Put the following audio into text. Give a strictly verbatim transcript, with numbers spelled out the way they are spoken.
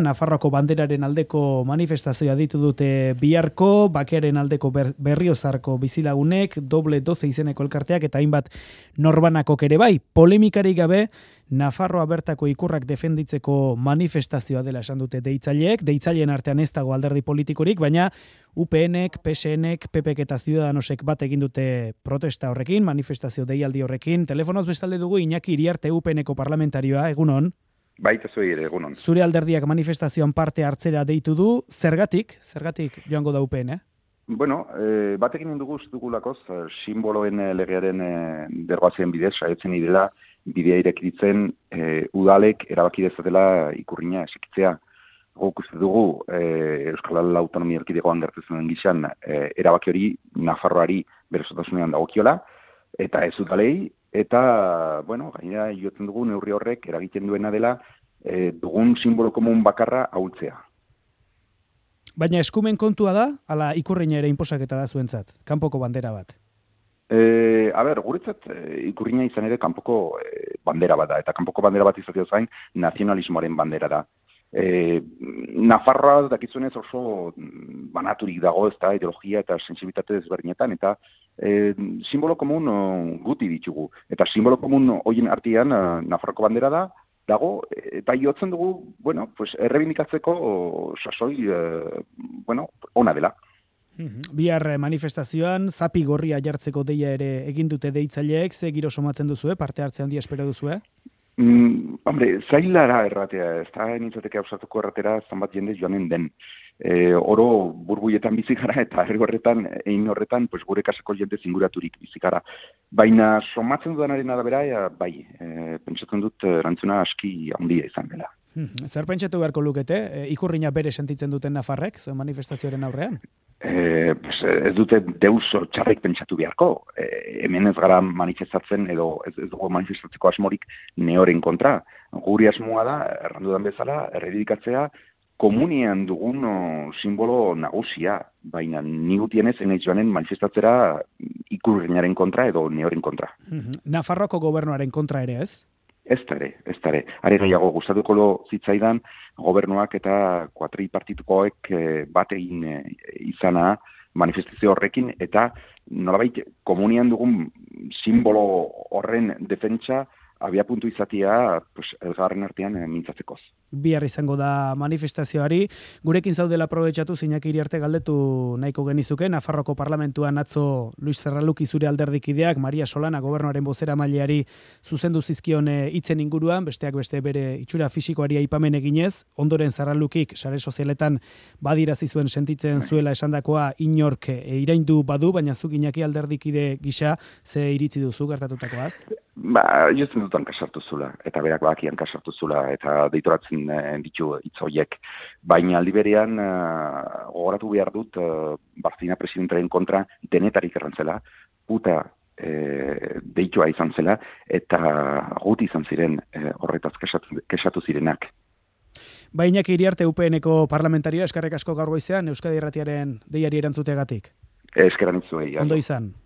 Nafarroako banderaren aldeko manifestazioa ditu dute biharko, bakearen aldeko ber, berriozarko bizilagunek, doble doce izeneko elkarteak eta hainbat norbanakok ere bai. Polemikarik gabe, Nafarroa bertako ikurrak defenditzeko manifestazioa dela esan dute deitzaileek, deitzaileen artean ez dago alderdi politikorik, baina U PNek, P S Nek, P Pek eta Ciudadanosek bat egin dute protesta horrekin, manifestazio deialdi horrekin. Telefonoz bestalde dugu Iñaki Iriarte U P Neko parlamentarioa, egunon. Baita zuei ere, egunon. Zure alderdiak manifestazioan parte hartzera deitu du, zergatik? Zergatik joango da U P N, eh? Bueno, e, batekin dugu dugulakoz, simboloen legearen e, derogazioen bidez, saietzen idela, bidea irekitzen e, udalek erabaki dezatela ikurrina esikitzea. Guk uste dugu, e, Euskal Autonomia Erkidegoan gertatzen den gizan, e, erabaki hori Nafarroari berezotasunean dagokiola, eta ez udalei, eta, bueno, gainera jotzen dugu neurri horrek eragiten duena dela e, dugun simbolo komun bakarra ahultzea. Baina eskumen kontua da, ala ikurrina ere inposaketa da zuentzat, kanpoko bandera bat? E, a ber, guretzat e, ikurrina izan ere kanpoko e, bandera bat da, eta kanpoko bandera bat izatea zain nazionalismoaren bandera da. E, Nafarroa dakizunez oso banaturik dago, ez da, ideologia eta sensibilitate desberdinetan, eta e, simbolo komun o, guti ditugu. Eta simbolo komun horien artean Nafarroko bandera da, dago, eta jotzen dugu, bueno, pues, errebindikatzeko sasoi, e, bueno, ona dela. Bihar manifestazioan, zapi gorria jartzeko deia ere egin dute deitzaileek, ze giro somatzen duzu, parte hartze handia espero duzu, eh? Mm, hombre, zailara erratea, ez da nintzateke hausatuko erratera zanbat jende joanen den. E, oro burbuietan bizikara eta herri horretan, egin horretan, pues, gure kasako jende zinguraturik bizikara. Baina somatzen dudanaren arabera, ja, bai, e, pentsatzen dut erantzuna aski handia izan dela. Zer pentsatu beharko lukete? E, ikurrina bere sentitzen duten Nafarrek, zuen manifestazioaren aurrean? E, pues, ez dute deus txarrek pentsatu beharko. E, hemen ez gara manifestatzen edo ez, ez dugu manifestatzeko asmorik neoren kontra. Guri asmoa da, errandudan bezala, erredikatzea komunian dugun o, simbolo nagusia, baina ni gutienez enaiz joanen manifestatzera ikurrinaren kontra edo neoren kontra. Nafarroako gobernuaren kontra ere ez? Ez ere, ez ere. Are gehiago gustatuko lo zitzaidan gobernuak eta kuatripartitukoek e, bat egin e, izana manifestazio horrekin eta nolabait komunian dugun simbolo horren defentsa abia puntu izatea pues, elgarren artean e, mintzatzekoz. Bihar izango da manifestazioari. Gurekin zaudela aprobetxatu Iñaki Iriarte galdetu nahiko genizuke. Nafarroko parlamentuan atzo Luis Zerraluki zure alderdikideak, Maria Solana gobernuaren bozera maileari zuzendu zizkion hitzen inguruan, besteak beste bere itxura fisikoari aipamen eginez, ondoren Zerralukik sare sozialetan badirazi zuen sentitzen zuela esandakoa inork e, iraindu badu, baina zuk Iñaki alderdikide gisa ze iritzi duzu gertatutakoaz? Ba, jozen dutan kasartu zula, eta berak bakian kasartu zula, eta deitoratzen e, ditu hitzoiek. Baina aldi berean, e, gogoratu behar dut, e, Barzina presidentaren kontra denetarik errantzela, puta e, deitua izan zela, eta gut izan ziren e, horretaz kesatu, kesatu zirenak. Baina Iriarte U P Neko parlamentarioa eskerrek asko gaur goizean Euskadi Irratiaren deiari erantzuteagatik. Eskeran itzuei. Ondo izan.